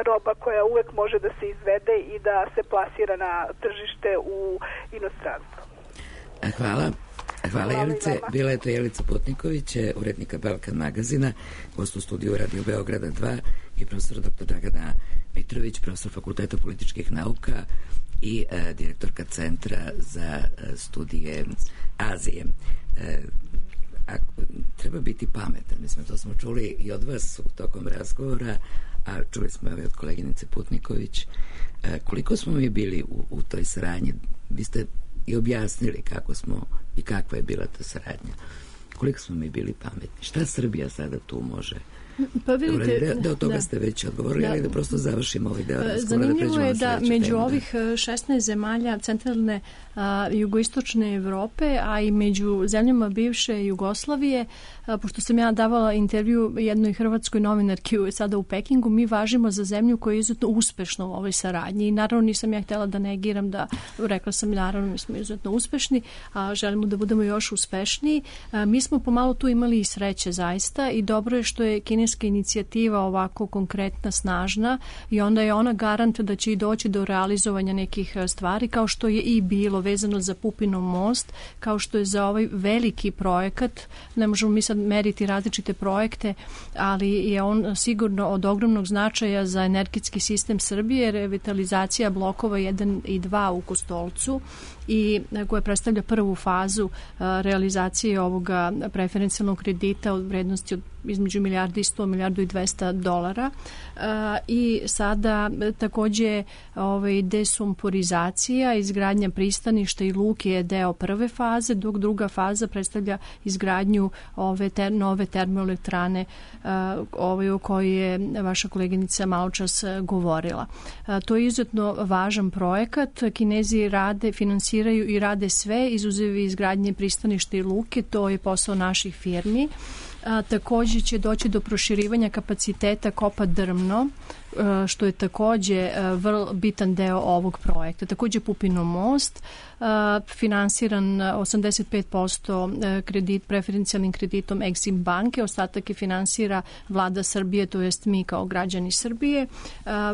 roba koja uvek može da se izvede i da se plasira na tržište u inostranstvu. Hvala Jelice. Bila je to Jelica Putniković, urednika Balkan magazina, gost u studiju Radio Beograda 2 i profesor dr. Dragana Mitrović, profesor Fakulteta političkih nauka i direktorka Centra za studije Azije. Treba biti pametan, mislim, to smo čuli i od vas tokom razgovora, a čuli smo i od koleginice Putniković. Koliko smo mi bili u toj saradnji? Vi ste i objasnili kako smo i kakva je bila ta saradnja. Koliko smo mi bili pametni? Šta Srbija sada tu može? Pa vidite, da od toga ste već odgovorili, ali da prosto završimo ovaj deo razgovora. Zanimljivo je da među ovih 16 zemalja centralne jugoistočne Evrope, a i među zemljama bivše Jugoslavije, pošto sam ja davala intervju jednoj hrvatskoj novinarki sada u Pekingu, mi važimo za zemlju koja je izuzetno uspešna u ovoj saradnji i naravno nisam ja htjela da negiram rekla sam naravno mi smo izuzetno uspešni, a želimo da budemo još uspešniji. Mi smo pomalo tu imali i sreće zaista i dobro je što je kineska inicijativa ovako konkretna, snažna i onda je ona garant da će i doći do realizovanja nekih stvari kao što je i bilo vezano za Pupinov most, kao što je za ovaj veliki projekat. Ne možemo mi sad meriti različite projekte, ali je on sigurno od ogromnog značaja za energetski sistem Srbije, revitalizacija blokova 1 i 2 u Kostolcu i koja predstavlja prvu fazu realizacije ovoga preferencijalnog kredita od vrednosti od između $1.100 $1.200 i sada takođe desumporizacija, izgradnja pristaništa i luke je deo prve faze, dok druga faza predstavlja izgradnju ove nove termoelektrane o kojoj je vaša koleginica maločas govorila. To je izuzetno važan projekat. Kinezi finansiraju i rade sve, izuzev izgradnje pristaništa i luke, to je posao naših firmi. Takođe će doći do proširivanja kapaciteta kopa Drmno, što je takođe vrlo bitan deo ovog projekta. Takođe Pupinov most, finansiran 85% kredit, preferencijalnim kreditom Exim banke, ostatak je finansira vlada Srbije, to jest mi kao građani Srbije.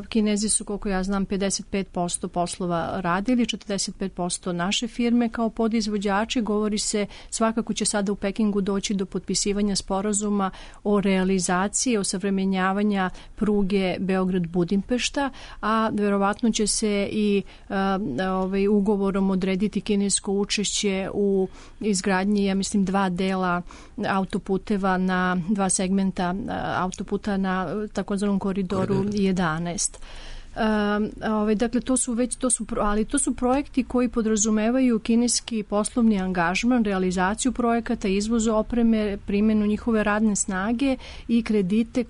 Kinezi su, koliko ja znam, 55% poslova radili, 45% naše firme kao podizvođači. Govori se, svakako će sada u Pekingu doći do potpisivanja sporazuma o realizaciji, osavremenjavanja pruge Beograd-Budimpešta, a verovatno će se i ugovorom odrediti kinesko učešće u izgradnji, ja mislim, 2 dela autoputeva na 2 segmenta autoputa na takozvanom koridoru 11. Dakle, to su projekti koji podrazumevaju kineski poslovni angažman, realizaciju projekata, izvoz opreme, primjenu njihove radne snage i kredite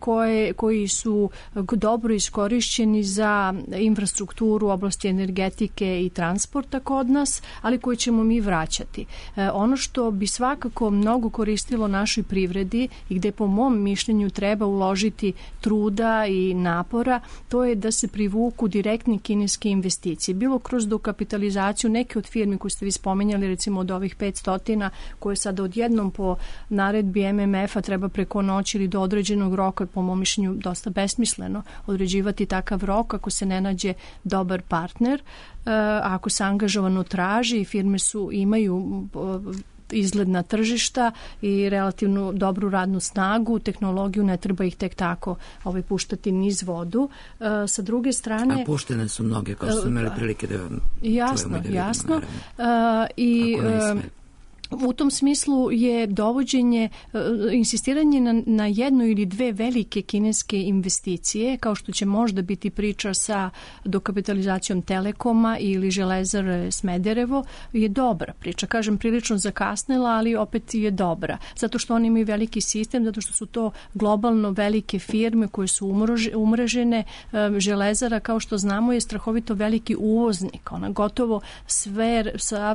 koji su dobro iskorišćeni za infrastrukturu u oblasti energetike i transporta kod nas, ali koje ćemo mi vraćati. Ono što bi svakako mnogo koristilo našoj privredi i gde po mom mišljenju treba uložiti truda i napora, to je da se privuku direktne kineske investicije. Bilo kroz dokapitalizaciju neke od firmi koje ste vi spomenjali, recimo od ovih 500 koje sada odjednom po naredbi MMF-a treba preko noći ili do određenog roka, po mom mišljenju dosta besmisleno određivati takav rok ako se ne nađe dobar partner. Ako se angažovano traži, firme imaju izgledna tržišta i relativno dobru radnu snagu, tehnologiju, ne treba ih tek tako puštati niz vodu. Sa druge strane... A puštene su mnoge, kao što su imali prilike da čujemo. Jasno. I u tom smislu je dovođenje, insistiranje na jednu ili dve velike kineske investicije, kao što će možda biti priča sa dokapitalizacijom Telekoma ili Železare Smederevo, je dobra priča. Kažem, prilično zakasnela, ali opet je dobra. Zato što oni imaju veliki sistem, zato što su to globalno velike firme koje su umrežene. Železara, kao što znamo, je strahovito veliki uvoznik. Ona gotovo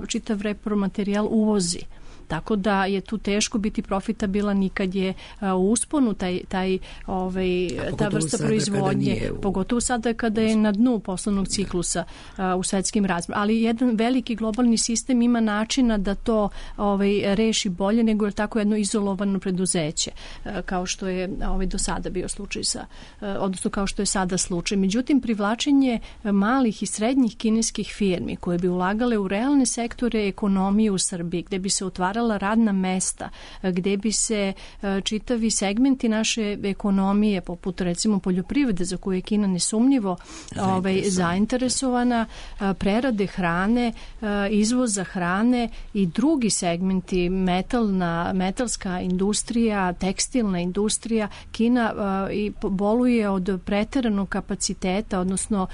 čitav repromaterijal uvozi. Tako da je tu teško biti profitabilan i kad je u usponu ta vrsta proizvodnje, pogotovo sada kada je na dnu poslovnog ciklusa u svetskim razmjerima. Ali jedan veliki globalni sistem ima načina da to reši bolje nego je tako jedno izolovano preduzeće, kao što je do sada bio slučaj odnosno kao što je sada slučaj. Međutim, privlačenje malih i srednjih kineskih firmi koje bi ulagale u realne sektore ekonomije u Srbiji, gde bi se otvarala radna mesta, gde bi se čitavi segmenti naše ekonomije, poput recimo poljoprivrede, za koju je Kina nesumnjivo zainteresovana, prerade hrane, izvoza hrane i drugi segmenti, metalska industrija, tekstilna industrija. Kina boluje od preteranog kapaciteta, odnosno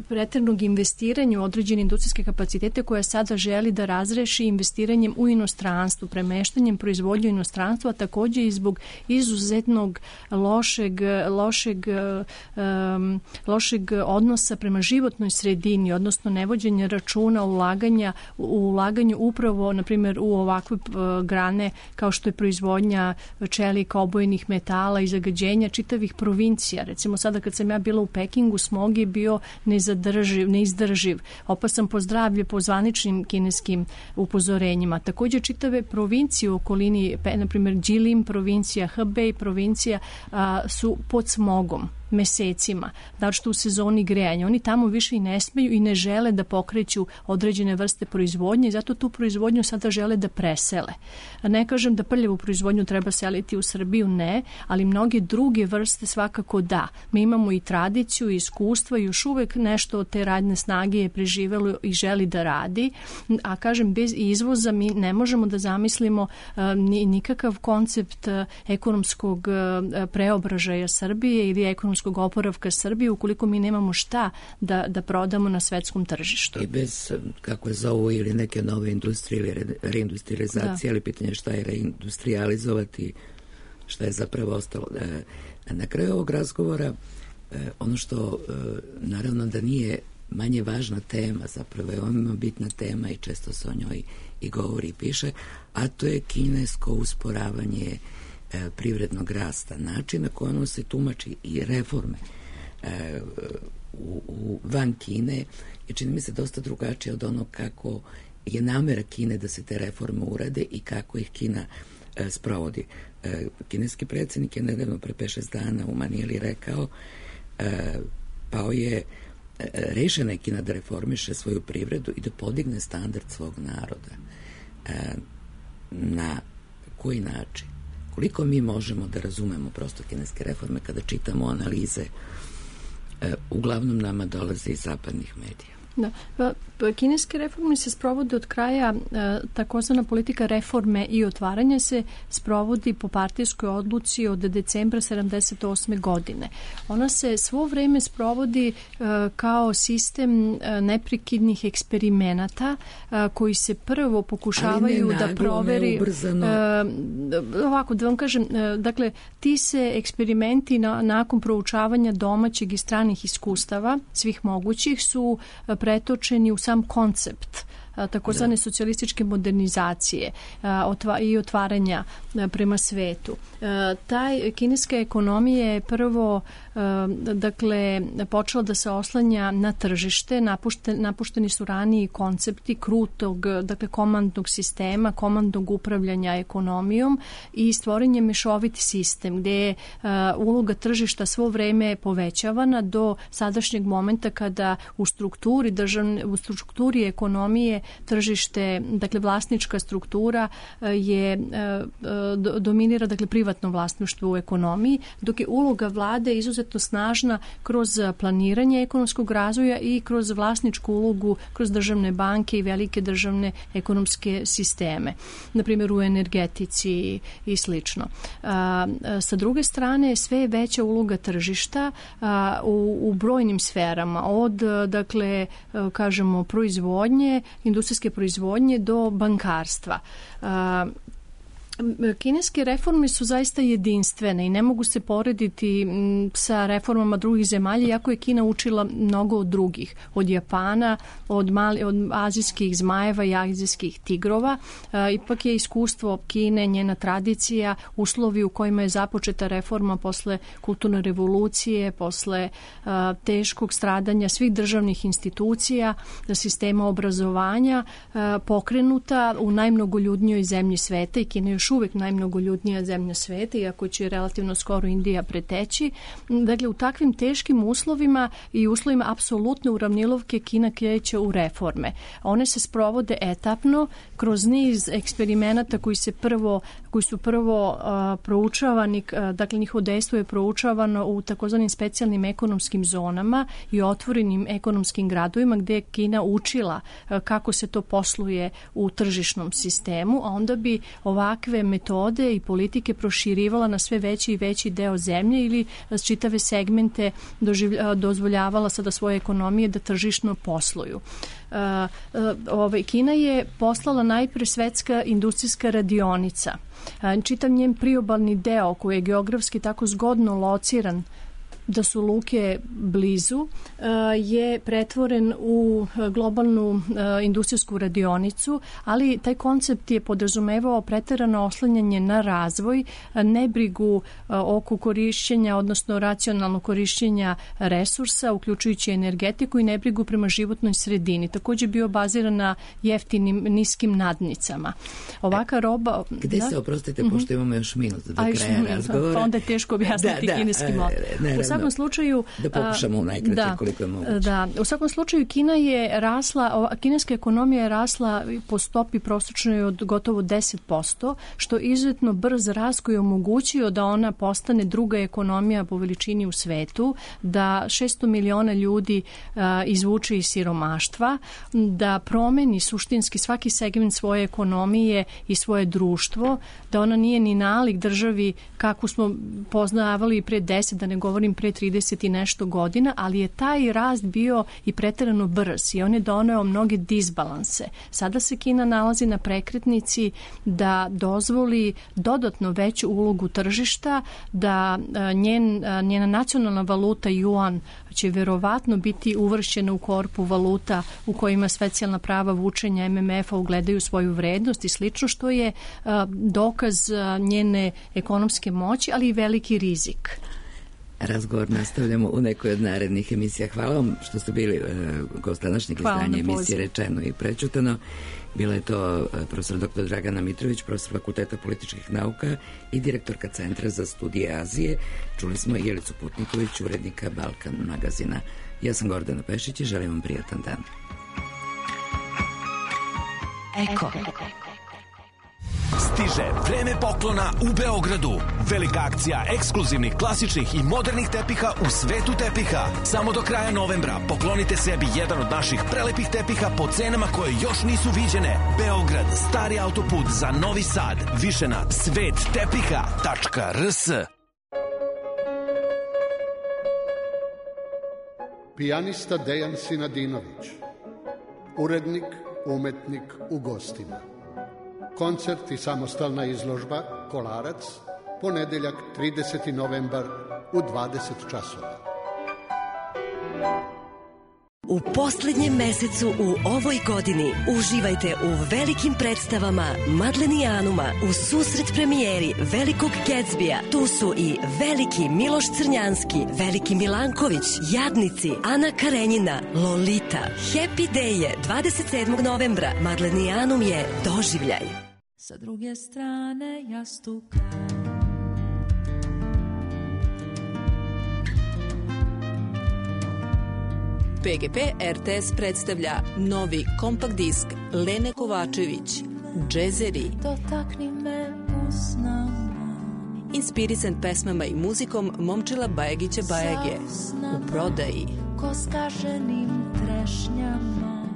preteranog investiranja u određene industrijske kapacitete koje sada želi da razreši investiranjem u inostranstvu, premeštanjem proizvodnje u inostranstvo, a takođe i zbog izuzetnog lošeg odnosa prema životnoj sredini, odnosno nevođenja računa ulaganju upravo, na primjer, u ovakve grane kao što je proizvodnja čelika, obojenih metala i zagađenja čitavih provincija. Recimo sada kad sam ja bila u Pekingu, smog je bio neizdrživ, opasan po zdravlje po zvaničnim kineskim upozorenjima. Također čitave provincije u okolini, na primjer Jilin provincija, Hebei provincija su pod smogom mesecima, što u sezoni grejanja. Oni tamo više i ne smeju i ne žele da pokreću određene vrste proizvodnje i zato tu proizvodnju sada žele da presele. Ne kažem da prljavu proizvodnju treba seliti u Srbiju, ne, ali mnoge druge vrste svakako da. Mi imamo i tradiciju i iskustva i još uvek nešto od te radne snage je preživelo i želi da radi, a kažem, bez izvoza mi ne možemo da zamislimo nikakav koncept ekonomskog preobražaja Srbije ili ekonomskog oporavka Srbije ukoliko mi nemamo šta da prodamo na svetskom tržištu. I bez, kako je zovu, ili neke nove industrije ili reindustrializacije, ali pitanje šta je reindustrializovati, šta je zapravo ostalo. Na kraju ovog razgovora, ono što naravno da nije manje važna tema, zapravo je veoma bitna tema i često se o njoj i govori i piše, a to je kinesko usporavanje privrednog rasta, način na koji ono se tumači i reforme van Kine je, čini mi se, dosta drugačije od onog kako je namera Kine da se te reforme urade i kako ih Kina sprovodi. Kineski predsjednik je nedavno pre 5-6 dana u Manili rekao, rešena je Kina da reformiše svoju privredu i da podigne standard svog naroda. Na koji način? Koliko mi možemo da razumemo prosto kineske reforme kada čitamo analize, uglavnom nama dolaze iz zapadnih medija? Kineske reforme se sprovode od kraja, takozvana politika reforme i otvaranja se sprovodi po partijskoj odluci od decembra 1978. godine. Ona se svo vreme sprovodi kao sistem neprekidnih eksperimenata koji se prvo pokušavaju da proveri... Ovako, da vam kažem, dakle, ti se eksperimenti nakon proučavanja domaćeg i stranih iskustava, svih mogućih, su pretočeni u sam koncept takozvane socijalističke modernizacije i otvaranja prema svetu. Kineska ekonomija je prvo počela da se oslanja na tržište, napušteni su raniji koncepti krutog, komandnog sistema, komandnog upravljanja ekonomijom i stvoren je mešoviti sistem gde je uloga tržišta svo vreme povećavana do sadašnjeg momenta kada u strukturi ekonomije tržište, vlasnička struktura dominira privatno vlasništvo u ekonomiji, dok je uloga vlade izuzetno snažna kroz planiranje ekonomskog razvoja i kroz vlasničku ulogu, kroz državne banke i velike državne ekonomske sisteme, na primjer u energetici i slično. Sa druge strane, sve je veća uloga tržišta u brojnim sferama, od proizvodnje, industrijske proizvodnje do bankarstva. Kineske reforme su zaista jedinstvene i ne mogu se porediti sa reformama drugih zemalja, iako je Kina učila mnogo od drugih, od Japana, od azijskih zmajeva i azijskih tigrova. Ipak je iskustvo Kine, njena tradicija, uslovi u kojima je započeta reforma posle kulturne revolucije, posle teškog stradanja svih državnih institucija, sistema obrazovanja, pokrenuta u najmnogoljudnijoj zemlji sveta, i Kina još uvek najmnogoljudnija zemlja sveta, iako će relativno skoro Indija preteći. Dakle, u takvim teškim uslovima i uslovima apsolutne uravnilovke Kina kreće u reforme. One se sprovode etapno kroz niz eksperimenata koji su prvo proučavani, njihovo dejstvo je proučavano u takozvanim specijalnim ekonomskim zonama i otvorenim ekonomskim gradovima gde je Kina učila kako se to posluje u tržišnom sistemu, a onda bi ovakve metode i politike proširivala na sve veći i veći deo zemlje ili čitave segmente dozvoljavala sada svoje ekonomije da tržišno posluju. Kina je poslala najpre svetska industrijska radionica. Čitav njen priobalni deo koji je geografski tako zgodno lociran da su luke blizu, je pretvoren u globalnu industrijsku radionicu, ali taj koncept je podrazumevao preterano oslanjanje na razvoj, nebrigu oko korišćenja, odnosno racionalno korišćenja resursa, uključujući energetiku, i nebrigu prema životnoj sredini. Također bio baziran na jeftinim, niskim nadnicama. Ovaka roba... Gde se, oprostite, pošto imamo još minut do kraja razgovora. Pa onda je teško objasniti kineski mod. U svakom slučaju... Da pokušamo najkraće koliko je moguće. U svakom slučaju kineska ekonomija je rasla po stopi prosječnoj od gotovo 10%, što izuzetno brz rast koji je omogućio da ona postane druga ekonomija po veličini u svetu, da 600 miliona ljudi izvuče iz siromaštva, da promeni suštinski svaki segment svoje ekonomije i svoje društvo, da ona nije ni nalik državi kako smo poznavali pre 10, da ne govorim pre 30 i nešto godina, ali je taj rast bio i preterano brz i on je doneo mnoge disbalanse. Sada se Kina nalazi na prekretnici da dozvoli dodatno veću ulogu tržišta, da njena nacionalna valuta yuan će verovatno biti uvršćena u korpu valuta u kojima specijalna prava vučenja MMF-a ugledaju svoju vrednost i slično, što je dokaz njene ekonomske moći, ali i veliki rizik. Razgovor nastavljamo u nekoj od narednih emisija. Hvala vam što ste bili gost današnjeg izdanja emisije Rečeno i prečutano. Bila je to profesor dr. Dragana Mitrović, profesor Fakulteta političkih nauka i direktorka Centra za studije Azije. Čuli smo Jelicu Putniković, urednika Balkan magazina. Ja sam Gordana Pešić i želim vam prijatan dan. Stiže vreme poklona u Beogradu. Velika akcija ekskluzivnih, klasičnih i modernih tepiha u svetu tepiha. Samo do kraja novembra poklonite sebi jedan od naših prelepih tepiha po cenama koje još nisu viđene. Beograd, stari autoput za Novi Sad. Više na svettepiha.rs. Pijanista Dejan Sinadinović, urednik, umetnik u gostima. Koncert i samostalna izložba Kolarac, ponedeljak 30. novembar u 20 časova. U poslednjem mesecu u ovoj godini uživajte u velikim predstavama Madlenijanuma u susret premijeri Velikog Gatsbija. Tu su i Veliki Miloš Crnjanski, Veliki Milanković, Jadnici, Ana Karenjina, Lolita. Happy Day je 27. novembra. Madlenijanum je doživljaj. Sa druge strane jastuka PGP RTS predstavlja novi kompakt disk Lene Kovačević, Džezeri. Dotakni me usnama. Inspirisan pesmama i muzikom Momčila Bajagića Bajage. U prodaji. Ko skaženim trešnjama.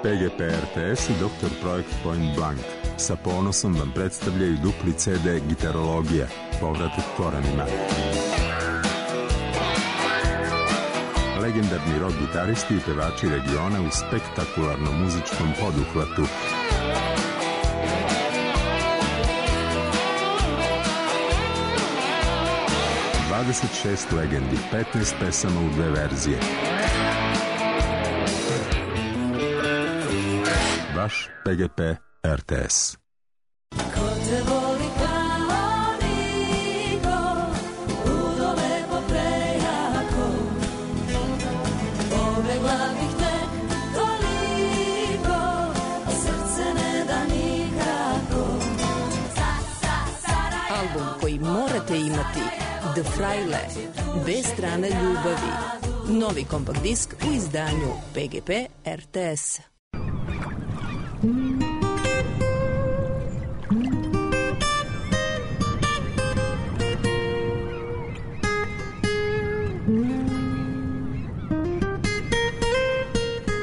PGP RTS i Dr. Projekt Point Blank sa ponosom vam predstavljaju dupli CD Gitarologija, povratak korenima. Legendarni rock gitaristi i pevači regiona u spektakularnom muzičkom poduhvatu. ...26 legendi, 15 pesama u 2 verzije. Vaš PGP RTS. Ko te voli kao niko, ludo lepo prejako, pobegla bih te toliko, a srce ne da nikako. Album koji morate imati, The Fraile, bez strane ljubavi. Novi kompakt disk u izdanju PGP RTS.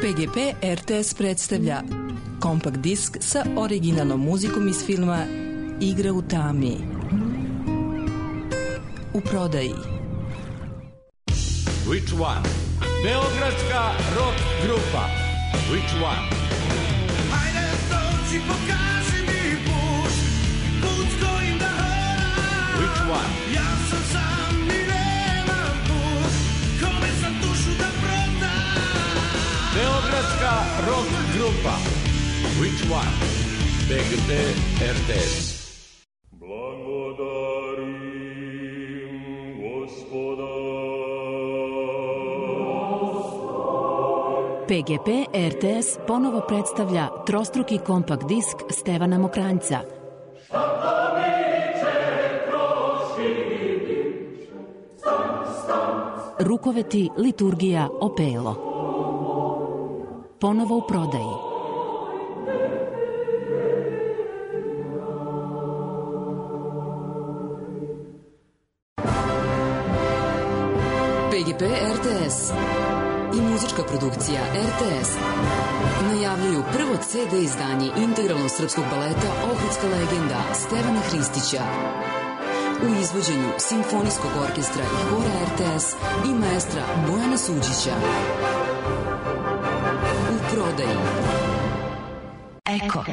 PGP RTS predstavlja kompakt disk sa originalnom muzikom iz filma Igra u tami. U prodaji. Which one? Beogradska rock grupa. Which one? Hajde dođi, pokaži mi put, put s kojim da hodam. Which one? Ja sam sam i nemam put, kome sam dušu da prodam. Beogradska rock grupa. Which one? PGP RTS. Blagodarim Gospoda. PGP RTS ponovo predstavlja trostruki kompakt disk Stevana Mokranjca. Rukoveti, liturgija, opelo. Ponovo u prodaji. PGP RTS i muzička produkcija RTS najavljuju prvo CD izdanje integralnog srpskog baleta Ohridska legenda Stevana Hristića u izvođenju Simfonijskog orkestra i hora RTS i maestra Bojana Suđića. U prodaji. Eko.